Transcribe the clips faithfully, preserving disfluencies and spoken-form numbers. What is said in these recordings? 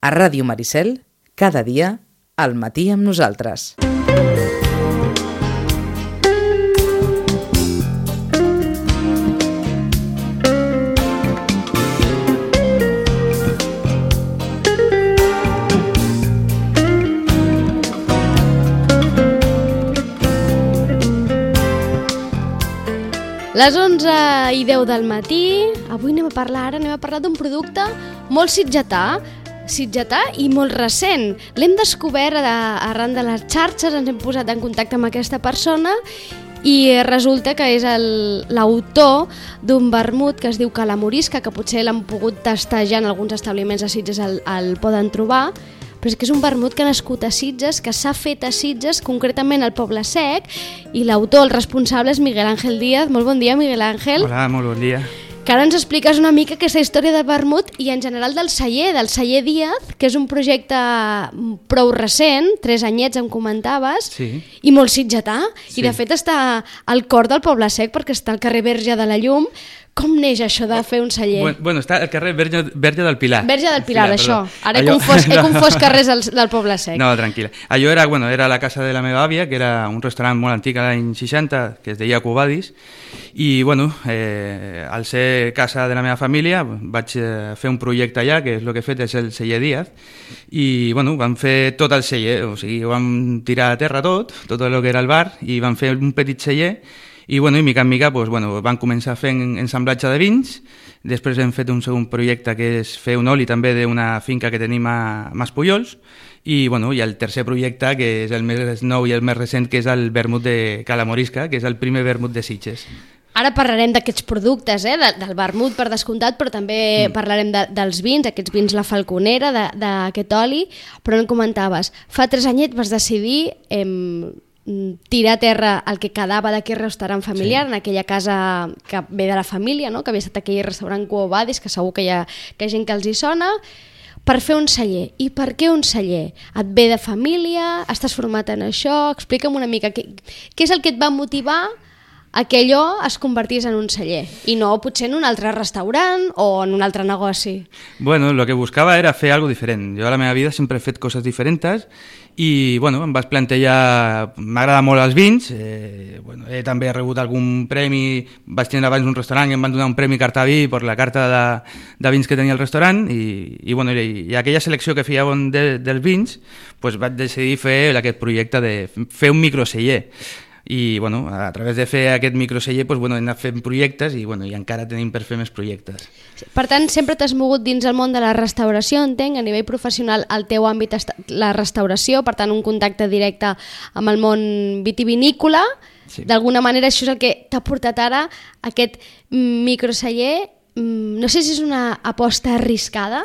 A Ràdio Maricel, cada dia, al matí amb nosaltres. Les onze i deu del matí, avui anem a parlar, ara anem a parlar d'un producte molt sitgetà, sitgetà i molt recent. L'hem descobert arran de les xarxes, ens hem posat en contacte amb aquesta persona i resulta que és l'autor d'un vermut que es diu Calamorisca, que potser l'han pogut tastar ja en alguns establiments de Sitges, el, el poden trobar, però és que és un vermut que ha nascut a Sitges, que s'ha fet a Sitges, concretament al Poble Sec, i l'autor, el responsable, és Miguel Ángel Díaz. Molt bon dia, Miguel Ángel. Hola, molt bon dia. Que ara ens expliques una mica aquesta història de vermut i en general del celler, del celler Díaz, que és un projecte prou recent, tres anyets em comentaves, sí. I molt sitgetà, sí. I de fet està al cor del Poble Sec perquè està al carrer Verge de la Llum. Com neix això de fer un celler? Bueno, bueno està al carrer Verge, Verge del Pilar. Verge del Pilar, Pilar això. Perdó. Ara he Allò... confós, he confós carrers del, del Poble Sec. No, tranquil·la. Allò era, bueno, era la casa de la meva àvia, que era un restaurant molt antic a l'any seixanta, que es deia Cubadis, i bueno, eh, al ser casa de la meva família vaig eh, fer un projecte allà, que és el que he fet és el celler Díaz, i bueno, vam fer tot el celler, o sigui, vam tirar a terra tot, tot el que era el bar, i vam fer un petit celler. I, bueno, i mica en mica pues, bueno, van començar fent ensamblatge de vins, després hem fet un segon projecte que és fer un oli també d'una finca que tenim a Maspujols, i, bueno, i el tercer projecte, que és el més nou i el més recent, que és el vermut de Calamorisca, que és el primer vermut de Sitges. Ara parlarem d'aquests productes, eh? de, del vermut per descomptat, però també mm. parlarem de, dels vins, aquests vins La Falconera, d'aquest oli, però em comentaves, fa tres anyets vas decidir... Eh, tirar a terra el que quedava d'aquell restaurant familiar, sí. En aquella casa que ve de la família, no? Que havia estat aquell restaurant Cubadis, que segur que hi, ha, que hi ha gent que els hi sona, per fer un celler. I per què un celler? Et ve de família? Estàs format en això? Explica'm una mica què, què és el que et va motivar a que allò es convertís en un celler i no potser en un altre restaurant o en un altre negoci. Bueno, lo que buscava era fer algo diferent. Jo a la meva vida sempre he fet coses diferents i bueno, em vaig plantejar, m'agrada molt els vins, eh, bueno, he també rebut algun premi, vaig tenir abans un restaurant i em van donar un premi Cartaví per la carta de, de vins que tenia el restaurant i, i, bueno, i, i aquella selecció que fèiem de, dels vins pues vaig decidir fer aquest projecte de fer un microceller. I bueno, a través de fer aquest microceller pues, bueno, hem anat fent projectes i, bueno, i encara tenim per fer més projectes. Per tant, sempre t'has mogut dins el món de la restauració, entenc, a nivell professional el teu àmbit és la restauració, per tant un contacte directe amb el món vitivinícola, sí. D'alguna manera això és el que t'ha portat ara aquest microceller, no sé si és una aposta arriscada,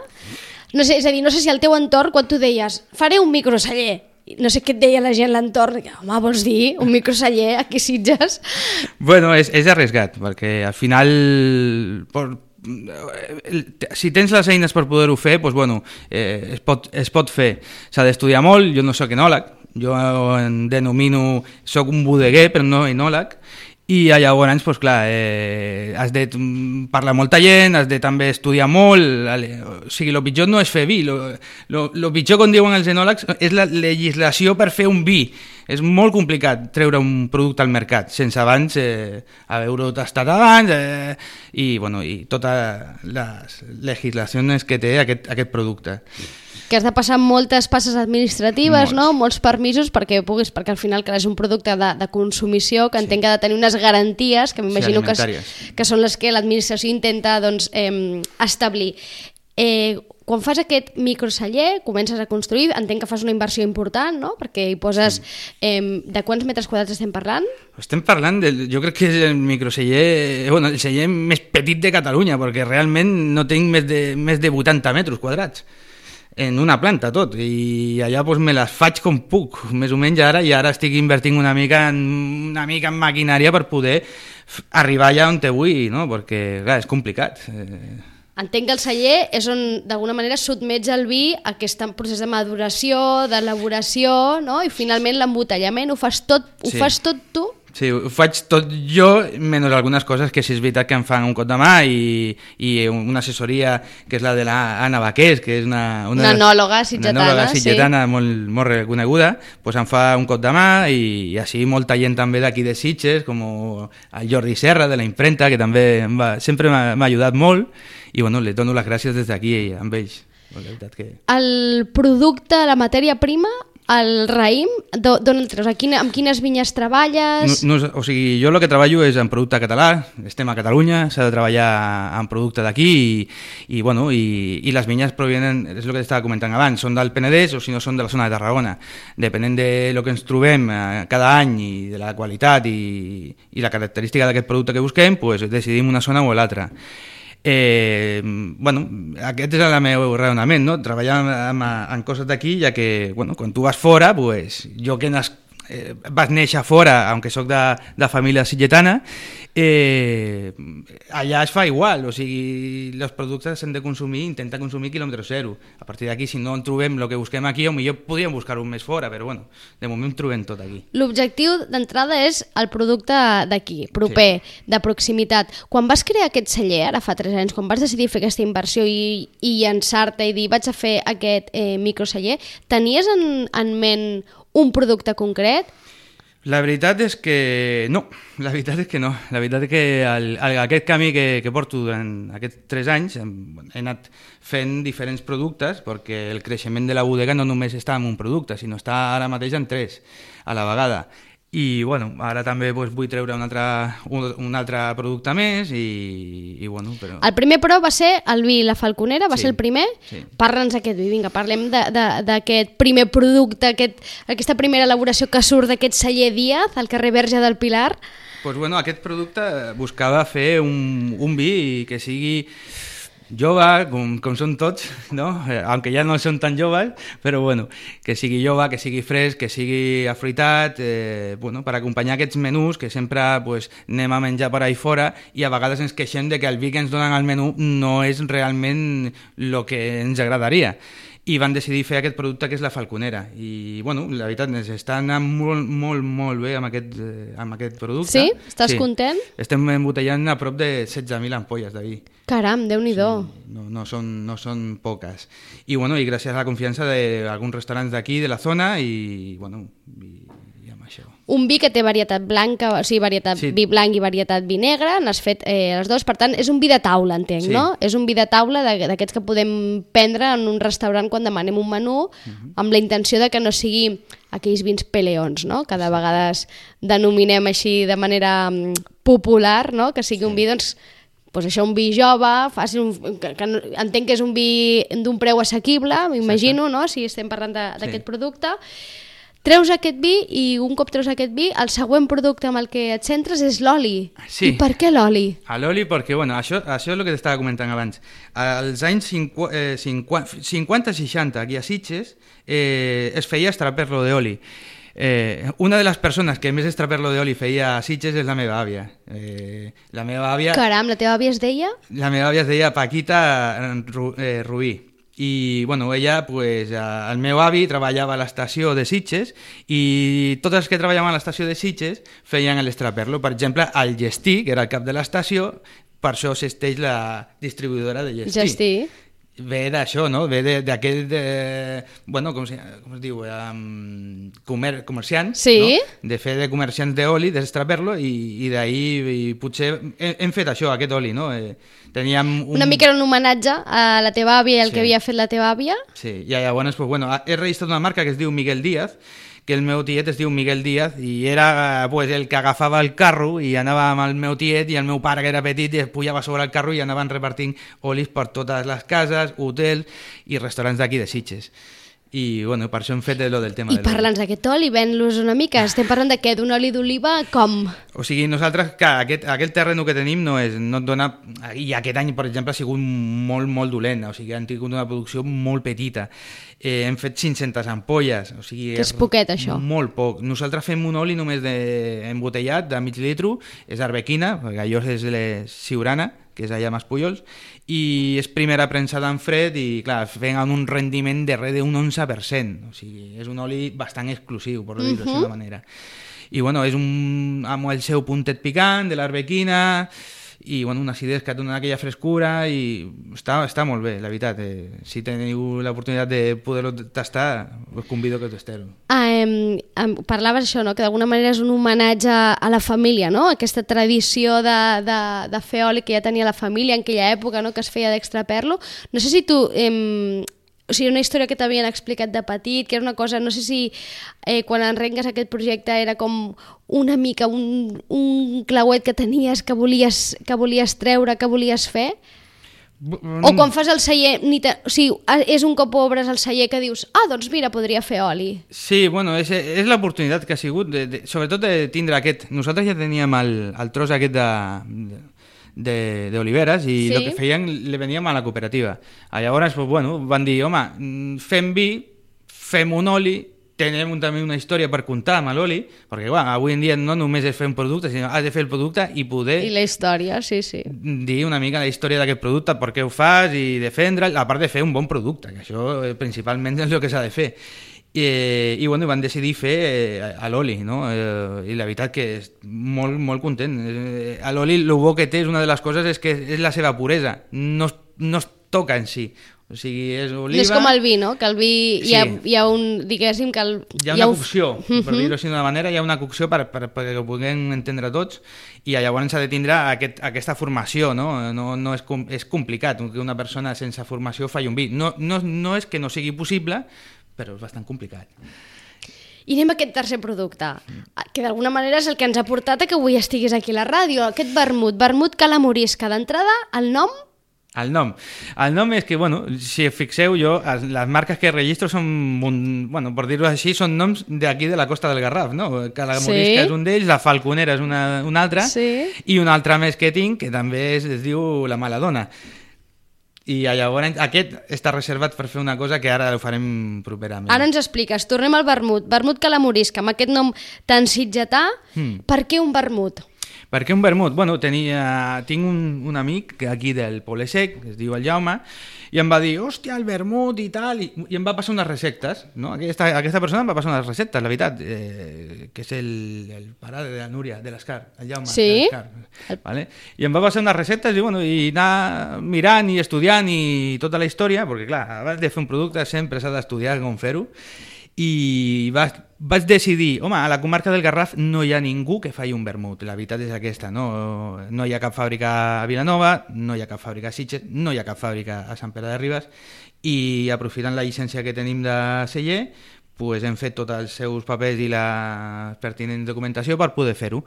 no sé, és a dir, no sé si al teu entorn quan tu deies faré un microceller, no sé què et deia la gent a l'entorn, home, vols dir un microceller aquí a Sitges? Bueno, és, és arriesgat, perquè al final, por, si tens les eines per poder-ho fer, pues, bueno, eh, es, pot, es pot fer. S'ha d'estudiar molt, jo no soc enòleg, jo em denomino, soc un bodeguer, però no enòleg, i llavors, pues, clar, eh, has de parlar amb molta gent, has de també estudiar molt, o sigui, el pitjor no és fer vi, el pitjor, com diuen els enòlegs, és la legislació per fer un vi. És molt complicat treure un producte al mercat, sense abans eh, haver-ho tastat abans, eh, i, bueno, i totes les legislacions que té aquest, aquest producte. Que has de passar moltes passes administratives, Molts. no? molts permisos perquè puguis, perquè al final que és un producte de, de consumició que entenc sí. que ha de tenir unes garanties que m'imagino sí, que, que són les que l'administració intenta doncs, eh, establir. Eh, quan fas aquest microceller, comences a construir, entenc que fas una inversió important, no? Perquè hi poses... Sí. Eh, de quants metres quadrats estem parlant? Estem parlant, de, jo crec que és el microceller, bueno, el celler més petit de Catalunya, perquè realment no tinc més de, més de vuitanta metres quadrats en una planta tot, i allà pues, me les faig com puc, més o menys ara, i ara estic invertint una mica en, una mica en maquinària per poder arribar allà on te vull, no? Perquè clar, és complicat. Entenc que el celler és on d'alguna manera sotmets el vi a aquest procés de maduració, d'elaboració, no? I finalment l'embotellament ho fas tot, ho sí. fas tot tu? Sí, ho faig tot jo, menys algunes coses que sí és veritat que em fan un cop de mà i, i una assessoria que és la de l'Anna Baqués, que és una... Una, una enòloga sitgetana, una enòloga sitgetana sí. molt, molt reconeguda, pues em fa un cop de mà i, i així molta gent també d'aquí de Sitges, com el Jordi Serra de la impremta, que també em va, sempre m'ha ajudat molt i bueno, li dono les gràcies des d'aquí amb ells. La veritat que... El producte, la matèria prima, el raïm, d'on el treus? Quina, amb quines vinyes treballes? No, no, o sigui, jo el que treballo és en producte català, estem a Catalunya, s'ha de treballar en producte d'aquí i, i, bueno, i, i les vinyes provenen, és el que estava comentant abans, són del Penedès o si no són de la zona de Tarragona. Depenent de lo que ens trobem eh, cada any i de la qualitat i, i la característica d'aquest producte que busquem, pues, decidim una zona o l'altra. Eh, bueno, aquest és el meu raonament, no? Treballar amb, amb coses d'aquí, ja que bueno, quan tu vas fora, pues, jo que nas, eh, vas néixer fora, aunque soc de, de família sitgetana, eh, allà es fa igual, o sigui, els productes s'han de consumir, intenta consumir quilòmetre zero. A partir d'aquí, si no en trobem el que busquem aquí, potser podríem buscar-ho més fora, però bueno, de moment trobem tot aquí. L'objectiu d'entrada és el producte d'aquí, proper, sí. De proximitat. Quan vas crear aquest celler, ara fa tres anys, quan vas decidir fer aquesta inversió i, i llançar-te i dir vaig a fer aquest eh, microceller, tenies en, en ment un producte concret? La veritat és que no, la veritat és que no. La veritat és que el, el, aquest camí que, que porto durant aquests tres anys hem, he anat fent diferents productes perquè el creixement de la bodega no només està en un producte, sinó està ara mateix en tres a la vegada. I bueno, ara també pues, vull treure un altre, un, un altre producte més i, i bueno, però... El primer però va ser el vi La Falconera, va sí, ser el primer. Sí. Parla'ns d'aquest vi, vinga, parlem d'aquest primer producte, aquest, aquesta primera elaboració que surt d'aquest celler Díaz, al carrer Verge del Pilar. Pues bueno, aquest producte buscava fer un, un vi que sigui jove, com, com són tots, no? Eh, aunque ja no són tan joves, però bueno, que sigui jove, que sigui fresc, que sigui afruitat, eh, bueno, per acompanyar aquests menús que sempre pues, anem a menjar per ahí fora i a vegades ens queixem de que el vi que ens donen al menú no és realment el que ens agradaria. I van decidir fer aquest producte que és la Falconera i bueno, la veritat ens està anant molt, molt, molt bé amb aquest, eh, amb aquest producte. Sí? Estàs sí. content? Estem embotellant a prop de setze mil ampolles de vi. Caram, Déu-n'hi-do. Sí, no, no, són, no són poques. I bueno, i gràcies a la confiança d'alguns restaurants d'aquí, de la zona i bueno, i, i amb això. Un vi que té varietat blanca, o sigui, varietat sí. Vi blanc i varietat vi negre, n'has fet eh, les dues, per tant, és un vi de taula, entenc, sí. No? És un vi de taula d'aquests que podem prendre en un restaurant quan demanem un menú, uh-huh. Amb la intenció de que no sigui aquells vins peleons, no? Que de vegades denominem així de manera um, popular, no? Que sigui sí. Un vi, doncs, pues això, un vi jove, fàcil, un, que, que entenc que és un vi d'un preu assequible, m'imagino, sí, no? Si estem parlant d'aquest sí. Producte. Treus aquest vi i un cop treus aquest vi, el següent producte amb el que et centres és l'oli. Sí. I per què l'oli? L'oli perquè, bueno, això, això és el que t'estava comentant abans. Als anys cinquanta seixanta, aquí a Sitges, eh, es feia extraperlo d'oli. Eh, una de les persones que més extraperlo d'oli feia a Sitges és la meva àvia. Eh, la meva àvia... Caram, la teva àvia es deia? La meva àvia es deia Paquita Ru, eh, Rubí. I bueno, ella, pues, el meu avi treballava a l'estació de Sitges i tots els que treballaven a l'estació de Sitges feien l'extraperlo. Per exemple, el Gestí, que era el cap de l'estació, per això s'esteix la distribuïdora de Gestí. Gestí. Ve d'això, no? Ve d'aquest, bueno, com, si, com es diu, um, comer, comerciants, sí. No? De fer de comerciants d'oli, d'extraperlo, i, i d'ahir potser hem, hem fet això, aquest oli, no? Eh, teníem un... Una mica era un homenatge a la teva àvia i el sí. Que havia fet la teva àvia. Sí, i llavors, pues, bueno, he registrat una marca que es diu Miguel Díaz, que el meu tiet es diu Miguel Díaz i era pues, el que agafava el carro i anava amb el meu tiet i el meu pare, que era petit, i es pujava sobre el carro i anaven repartint olis per totes les cases, hotels i restaurants d'aquí de Sitges. I bueno, per això hem fet lo del tema I de l'oli. I parla'ns d'aquest oli, ven-los una mica. Estem parlant de què? D'un oli d'oliva com? O sigui, nosaltres, que aquest, aquest terreno que tenim no, és, no et dona... I aquest any, per exemple, ha sigut molt, molt dolent. O sigui, han tingut una producció molt petita. Eh, hem fet cinc-centes ampolles. O sigui, que és poquet, això. Molt poc. Nosaltres fem un oli només de, embotellat, de mig litro, és arbequina, perquè allò és la Siurana, que és allà a Maspullols, i és primera premsada en fred i, clar, fent un rendiment de res d'un onze per cent. O sigui, és un oli bastant exclusiu, per dir-ho uh-huh. D'aquesta manera. i bueno, és un, amb el seu puntet picant de l'arbequina, i bueno, unes idees que et donen aquella frescura i està, està molt bé, la veritat. Eh, si teniu l'oportunitat de poder-ho tastar, us convido que ho tasteu. Ah, eh, parlaves això, no? Que d'alguna manera és un homenatge a la família, no? Aquesta tradició de, de, de fer oli que ja tenia la família en aquella època, no? Que es feia d'extraperlo. No sé si tu... Eh, o sigui, una història que t'havien explicat de petit, que era una cosa, no sé si eh, quan enrengues aquest projecte era com una mica un, un clauet que tenies, que volies, que volies treure, que volies fer, o quan fas el celler, ni te, o sigui, és un cop obres el celler que dius, ah, doncs mira, podria fer oli. Sí, bueno, és, és l'oportunitat que ha sigut, de, de, sobretot de tindre aquest, nosaltres ja teníem el, el tros aquest de... de d'oliveres i el sí. que feien li veníem a la cooperativa. Llavors, pues, bueno, van dir, home, fem vi, fem un oli, tenim un, també una història per contar amb l'oli, perquè bueno, avui en dia no només és fer un producte, sinó has de fer el producte i poder... I la història, sí, sí. Dir una mica la història d'aquest producte, per què ho fas i defendre'l, a part de fer un bon producte, que això eh, principalment és el que s'ha de fer. I, i bueno, van decidir fer eh, a l'oli, no? Eh, i la veritat que és molt, molt content. Eh, a l'oli el bo que té és una de les coses és que és la seva puresa, no, no es toca en si. O sigui, és oliva... No és com el vi, no? Que el vi sí. hi, ha, hi ha un, diguéssim, que el... Hi ha una hi ha cocció, un... per dir-ho així d'una manera, hi ha una cocció per, per, perquè ho puguem entendre tots, i llavors s'ha de tindre aquest, aquesta formació, no? No, no és, és complicat que una persona sense formació faci un vi. No, no, no és que no sigui possible, però és bastant complicat. I anem a aquest tercer producte, que d'alguna manera és el que ens ha portat a que avui estiguis aquí a la ràdio, aquest vermut, vermut calamorisca. D'entrada, el nom? El nom. El nom és que, bueno, si fixeu jo, les marques que registro són, un, bueno, per dir-ho així, són noms d'aquí de la Costa del Garraf, no? Calamorisca sí. és un d'ells, la Falconera és una, una altra, sí. i una altra més que tinc, que també es, es diu la Maladona. I llavors aquest està reservat per fer una cosa que ara ho farem properament. Ara ens expliques, tornem al vermut, vermut calamorisca, amb aquest nom tan sitgetà, hmm. per què un vermut? Per què un vermut? Bueno, tenia, tinc un, un amic aquí del Poble Sec, que es diu el Jaume, i em va dir, hòstia, el vermut i tal, i, i em va passar unes receptes, no? Aquesta, aquesta persona em va passar unes receptes, la veritat, eh, que és el, el pare de la Núria, de l'Escar, el Jaume, sí? de l'Escar, vale? I em va passar unes receptes i, bueno, i anar mirant i estudiant i tota la història, perquè clar, abans de fer un producte sempre s'ha d'estudiar com fer-ho, i va, vaig decidir, home, a la comarca del Garraf no hi ha ningú que faci un vermut, la veritat és aquesta, no, no hi ha cap fàbrica a Vilanova, no hi ha cap fàbrica a Sitges, no hi ha cap fàbrica a Sant Pere de Ribes, i aprofitant la llicència que tenim de celler, pues hem fet tots els seus papers i la pertinent documentació per poder fer-ho.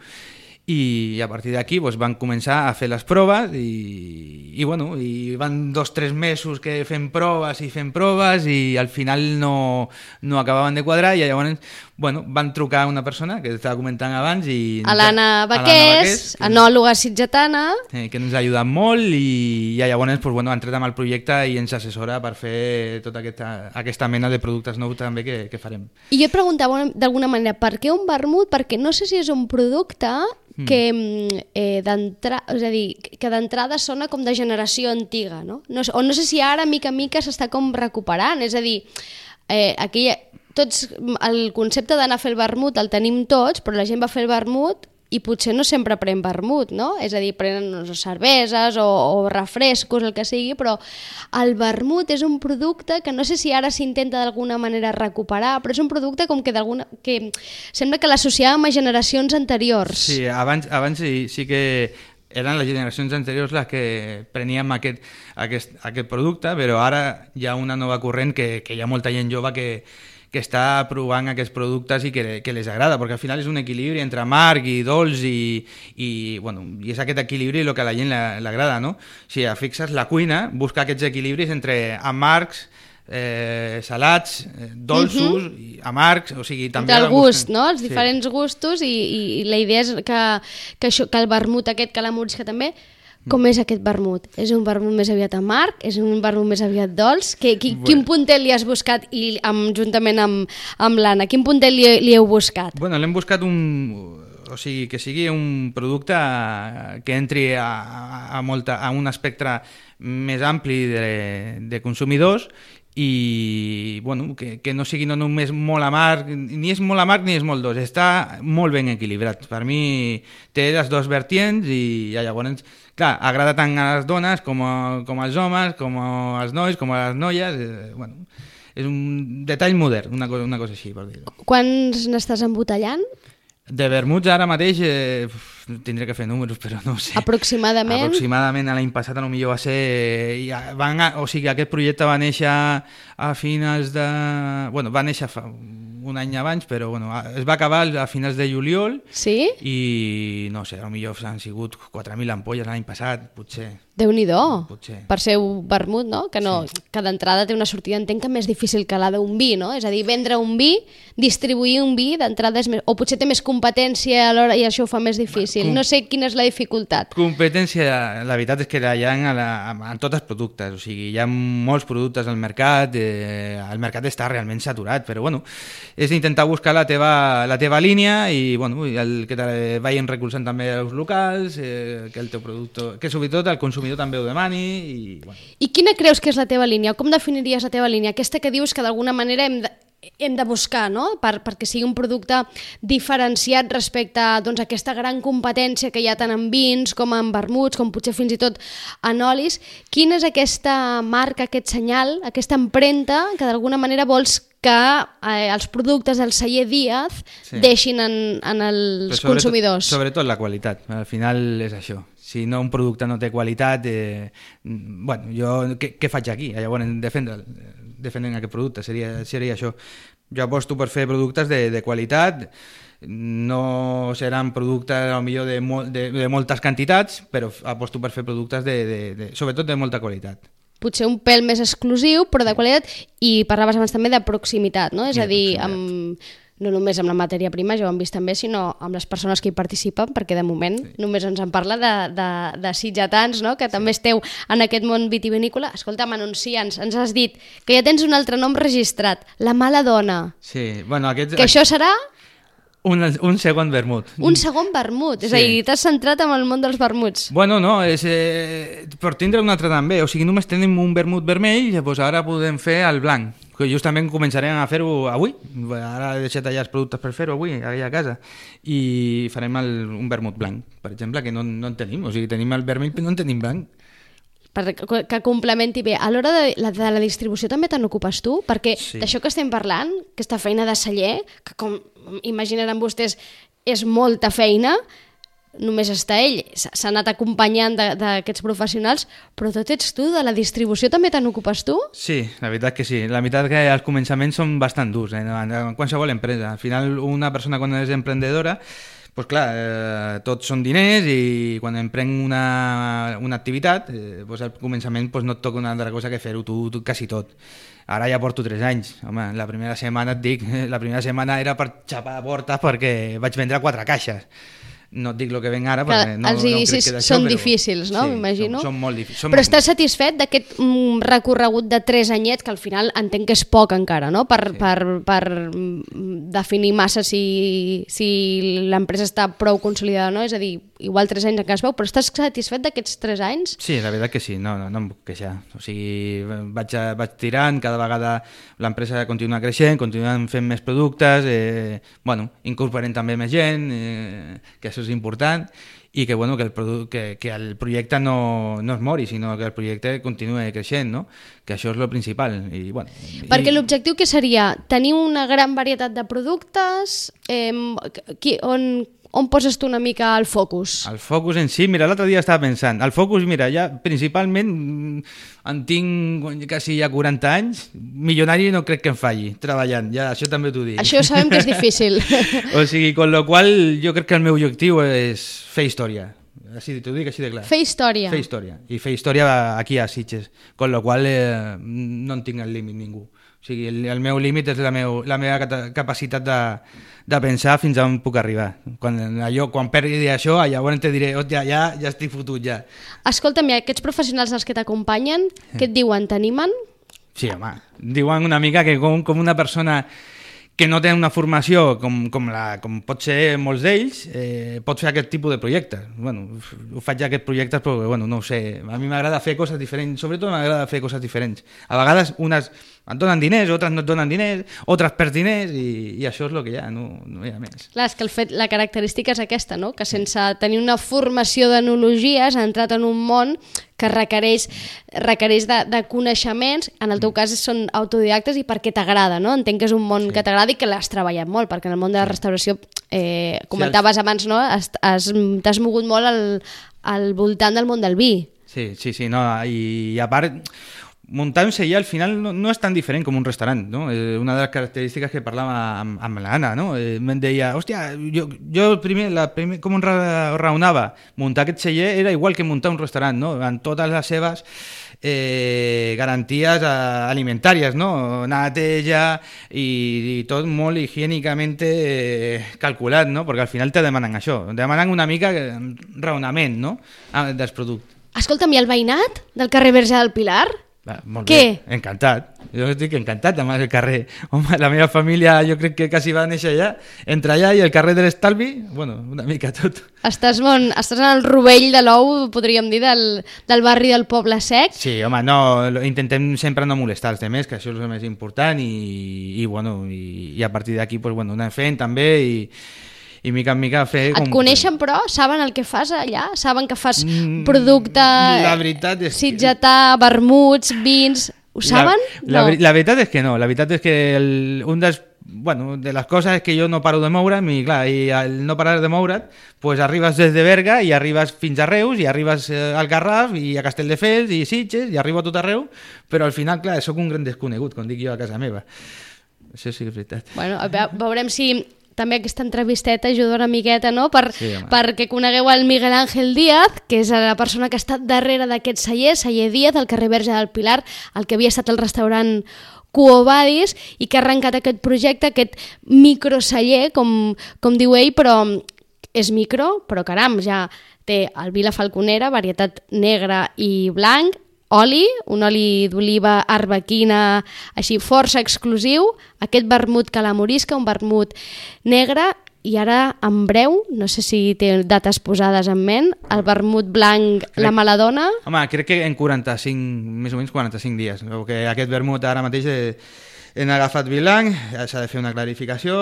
I a partir d'aquí doncs, van començar a fer les proves i, i, bueno, i van dos o tres mesos que fem proves i fem proves i al final no, no acabaven de quadrar i llavors bueno, van trucar una persona que estava comentant abans i... A l'Anna Baqués, enòloga sitgetana. Eh, que ens ha ajudat molt i, i llavors doncs, bueno, ha entrat amb el projecte i ens assessora per fer tota aquesta, aquesta mena de productes nous també que, que farem. I jo et preguntava d'alguna manera, per què un vermut? Perquè no sé si és un producte que eh, d'entrada, és a dir, que d'entrada sona com de generació antiga, no? No, o no sé si ara, mica en mica, s'està com recuperant, és a dir, eh, aquí tots, el concepte d'anar a fer el vermut el tenim tots, però la gent va fer el vermut i potser no sempre pren vermut, no? És a dir, prenen no, cerveses o, o refrescos, el que sigui, però el vermut és un producte que no sé si ara s'intenta d'alguna manera recuperar, però és un producte com que d'alguna... que sembla que l'associàvem a generacions anteriors. Sí, abans, abans sí, sí que eren les generacions anteriors les que preníem aquest, aquest, aquest producte, però ara hi ha una nova corrent que, que hi ha molta gent jove que que està provant aquests productes i que, que les agrada, perquè al final és un equilibri entre amarg i dolç i, i, bueno, i és aquest equilibri el que a la gent l'agrada, no? Si fixes, la cuina busca aquests equilibris entre amargs, eh, salats, eh, dolços, uh-huh. i amargs, o sigui... també del gust, busquen... no? Els diferents sí. gustos i, i, i la idea és que, que, això, que el vermut aquest, calamorisca també, com és aquest vermut? És un vermut més aviat amarg? És un vermut més aviat dolç? Que, qui, bueno. Quin puntet li has buscat i amb, juntament amb, amb l'Anna? Quin puntet li, li heu buscat? Bueno, l'hem buscat un... O sigui, que sigui un producte que entri a, a, molta, a un espectre més ampli de, de consumidors i bueno, que, que no sigui no només molt amarg, ni és molt amarg ni és molt dolç, està molt ben equilibrat. Per mi té les dues vertients i ja, llavors, clar, agrada tant a les dones com, a, com als homes, com als nois, com a les noies, eh, bueno, és un detall modern, una cosa, una cosa així, per dir-ho. Quants n'estàs embotellant? De vermuts ara mateix eh, tindré que fer números, però no ho sé. Aproximadament? Aproximadament l'any passat potser va ser... Ja, van a, o sigui, aquest projecte va néixer a finals de... Bueno, va néixer fa un any abans, però bueno, es va acabar a finals de juliol. Sí? I no sé, potser han sigut quatre mil ampolles l'any passat, potser. Déu-n'hi-do, Potser. per ser un vermut, no? Que, no, Sí. que d'entrada té una sortida, entenc que més difícil que la d'un vi, no? És a dir, vendre un vi, distribuir un vi, d'entrada és més... O potser té més competència a l'hora i això ho fa més difícil. Com- No sé quina és la dificultat. Competència, la veritat és que la hi ha en, la, en tots els productes, o sigui, hi ha molts productes al mercat, eh, el mercat està realment saturat, però bueno, és intentar buscar la teva, la teva línia i bueno, i el que te vagin recolzant també els locals, eh, que el teu producte, que sobretot el consumidor també ho demani i bueno. I quina creus que és la teva línia? Com definiries la teva línia? Aquesta que dius que d'alguna manera hem de, hem de buscar, no? Per, perquè sigui un producte diferenciat respecte a doncs, aquesta gran competència que hi ha tant en vins com en vermuts, com potser fins i tot en olis. Quina és aquesta marca, aquest senyal, aquesta empremta que d'alguna manera vols que eh, els productes del celler Díaz Sí. deixin en, en els Però sobretot- consumidors? Sobretot la qualitat, al final és això. Si no un producte no té qualitat, eh, bueno, jo què, què faig aquí? Llavors, defendre, defendent aquest producte, seria, seria això. Jo aposto per fer productes de, de qualitat, no seran productes potser de, mol, de, de moltes quantitats, però aposto per fer productes de, de, de, sobretot de molta qualitat. Potser un pèl més exclusiu, però de qualitat, i parlaves abans també de proximitat, no? És I a de dir, proximitat. amb, no només amb la matèria prima, ja ho hem vist també, sinó amb les persones que hi participen, perquè de moment sí. només ens en parla de, de, de sitgetans, no? Que també esteu en aquest món vitivinícola. Escolta'm, anunciants, ens has dit que ja tens un altre nom registrat, La Mala Dona, Sí, bueno, aquests, que això serà un, un segon vermut. un segon vermut, és a Sí. dir, t'has centrat en el món dels vermuts. Bueno, no, és, eh, per tindre un altre també, o sigui, només tenim un vermut vermell, llavors ara podem fer el blanc, que justament començarem a fer-ho avui, ara he deixat allà els productes per fer-ho avui, allà a casa, i farem el, un vermut blanc, per exemple, que no, no en tenim, o sigui, tenim el vermell però no en tenim blanc. Per, que complementi bé. A l'hora de, la- de la distribució també te n'ocupes tu? Perquè Sí. d'això que estem parlant, aquesta feina de celler, que com imaginaran vostès és molta feina, només està ell, s'ha s'ha anat acompanyant de- d'aquests professionals, però tot ets tu, de la distribució també te n'ocupes tu? Sí, la veritat que sí. La veritat que els començaments són bastant durs, eh? en en qualsevol empresa. Al final, una persona quan és emprendedora, pues clar, eh, tots són diners i quan emprenc una, una activitat, eh, pues al començament pues no et toca una altra cosa que fer-ho tu, tu quasi tot. Ara ja porto tres anys. Home, la primera setmana et dic, la primera setmana era per xapar portes perquè vaig vendre quatre caixes. No et dic el que venc ara, perquè Que no, els no crec inicis que d'això, són però... difícils, no? Sí, M'imagino. Són, són molt difícils. Però estàs satisfet d'aquest mm, recorregut de tres anyets, que al final entenc que és poc encara, no? Per, Sí. per, per mm, definir massa si, si l'empresa està prou consolidada o no, és a dir, igual tres anys encara es veu, però estàs satisfet d'aquests tres anys? Sí, la veritat que sí, no, no, no em puc queixar. O sigui, vaig, a, vaig tirant, cada vegada l'empresa continua creixent, continuem fent més productes, eh, bueno, incorporem també més gent, eh, que això és important, i que, bueno, que, el, produ que, que el projecte no, no es mori, sinó que el projecte continuï creixent, no? Que això és el principal. I, bueno, Perquè i... l'objectiu que seria tenir una gran varietat de productes, eh, qui, on, on poses tu una mica el focus? El focus en si, mira, l'altre dia estava pensant, el focus, mira, ja principalment mm, en tinc quasi ja quaranta anys, milionari no crec que em falli, treballant, ja això també t'ho dic. Això sabem que és difícil. O sigui, con lo qual jo crec que el meu objectiu és fer història. Així t'ho dic així de clar. Fer història. Fer història. I fer història aquí a Sitges. Con lo qual eh, no en tinc el límit ningú. O sigui, el, el meu límit és la, meu, la meva capacitat de, de pensar fins on puc arribar. Quan, allò, quan perdi això, llavors te diré, hòstia, ja, ja estic fotut ja. Escolta'm, i aquests professionals els que t'acompanyen, què et diuen? T'animen? Sí, home, diuen una mica que com, com una persona que no tenen una formació com, com, la, com pot ser molts d'ells, eh, pot fer aquest tipus de projectes. Bueno, ho faig aquests projectes, però bueno, no ho sé. A mi m'agrada fer coses diferents, sobretot m'agrada fer coses diferents. A vegades unes et donen diners, altres no et donen diners, altres perds diners, i, i això és el que hi ha, no, no hi ha més. Clar, és que el fet, la característica és aquesta, no? Que sense tenir una formació d'enologies ha entrat en un món que requereix, requereix de, de coneixements, en el teu cas són autodidactes i perquè t'agrada, no? Entenc que és un món sí. que t'agrada i que l'has treballat molt, perquè en el món de la restauració, eh, comentaves sí, el... abans, no? Has, has, t'has mogut molt al, al voltant del món del vi. Sí, sí, sí, no, i, i a part... muntar un celler al final no, no és tan diferent com un restaurant, no? Eh, una de les característiques que parlava amb, amb l'Anna, no? Eh, me'n deia, hòstia, jo, jo primer, la primer, com raonava, muntar aquest celler era igual que muntar un restaurant, no? En totes les seves eh, garanties eh, alimentàries, no? Neteja i, i tot molt higiènicament eh, calculat, no? Perquè al final te demanen això, te demanen una mica raonament, no? Dels productes. Escolta'm, i el veïnat del carrer Verge del Pilar? Va, molt Què? Bé, encantat. Jo estic encantat amb el carrer. Home, la meva família jo crec que quasi va néixer allà, entre allà i el carrer de l'Estalvi, bueno, una mica tot. Estàs, bon, estàs en el rovell de l'ou, podríem dir, del, del barri del Poble Sec. Sí, home, no, intentem sempre no molestar els demés, que això és el més important, i, i, bueno, i, i a partir d'aquí pues, bueno, anem fent també, i... i mica en mica fer... Et coneixen, però? Saben el que fas allà? Saben que fas producte... La veritat és que... sitgetà, vermuts, vins... Ho saben? La, no. la, la veritat és que no. La veritat és que el, un dels... Bueno, de les coses és que jo no paro de moure'm i clar, i al no parar de moure't pues arribes des de Berga i arribes fins a Reus i arribes al Garraf i a Castelldefels i Sitges i arribo a tot arreu, però al final, clar, sóc un gran desconegut, com dic jo a casa meva. Això sí que és veritat. Bueno, veurem si... també aquesta entrevisteta ajuda una miqueta, no? Per, sí, perquè conegueu el Miguel Ángel Díaz, que és la persona que ha estat darrere d'aquest celler, celler Díaz, al carrer Verge del Pilar, el que havia estat el restaurant Quo Vadis, i que ha arrencat aquest projecte, aquest microceller, com, com diu ell, però és micro, però caram, ja té el vi La Falconera, varietat negra i blanc, oli, un oli d'oliva arbequina així força exclusiu, aquest vermut calamorisca, un vermut negre, i ara en breu, no sé si té dates posades en ment, el vermut blanc crec, La Maladona. Home, crec que en quaranta-cinc, més o menys quaranta-cinc dies, que aquest vermut ara mateix hem agafat vi blanc, s'ha de fer una clarificació,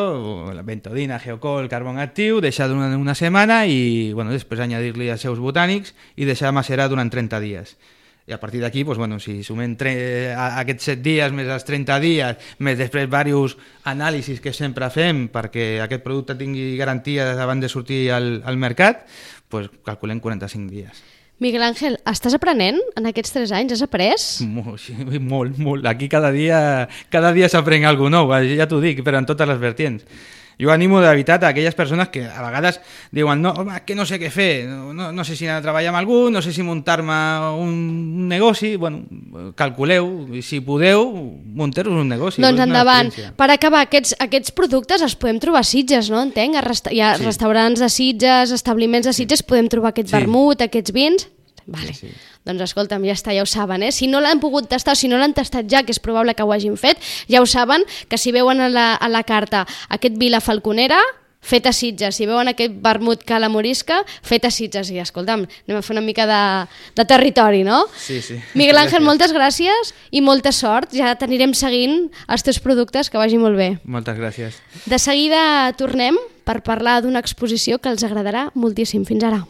la bentodina, geocol, carbon actiu, deixar durant una setmana i bueno, després añadir-li els seus botànics i deixar macerar durant trenta dies. I a partir d'aquí, doncs, bueno, si sumem tre- a aquests set dies més els trenta dies, més després diversos anàlisis que sempre fem perquè aquest producte tingui garantia abans de sortir al, al mercat, doncs calculem quaranta-cinc dies. Miguel Ángel, estàs aprenent en aquests tres anys? Has après? Molt, sí, molt, molt. Aquí cada dia, cada dia s'aprèn alguna cosa nou, ja t'ho dic, però en totes les vertients. Jo animo de veritat a aquelles persones que a vegades diuen no, home, que no sé què fer, no, no, no sé si anar a treballar amb algú, no sé si muntar-me un, un negoci, bueno, calculeu, si podeu, munteu-vos un negoci. Doncs endavant. Per acabar, aquests, aquests productes els podem trobar a Sitges, no? Entenc? Resta- hi ha sí. restaurants de Sitges, establiments de Sitges, podem trobar aquest sí. vermut, aquests vins... Vale. Sí, sí. Doncs escolta'm, ja està, ja ho saben, eh? Si no l'han pogut tastar, si no l'han tastat ja, que és probable que ho hagin fet, ja ho saben, que si veuen a la, a la carta aquest vi La Falconera, fet a Sitges, si veuen aquest vermut calamorisca, fet a Sitges, i escolta'm, anem a fer una mica de, de territori, no? Sí, sí. Miguel Ángel, moltes gràcies i molta sort, ja t'anirem seguint els teus productes, que vagi molt bé. Moltes gràcies. De seguida tornem per parlar d'una exposició que els agradarà moltíssim. Fins ara.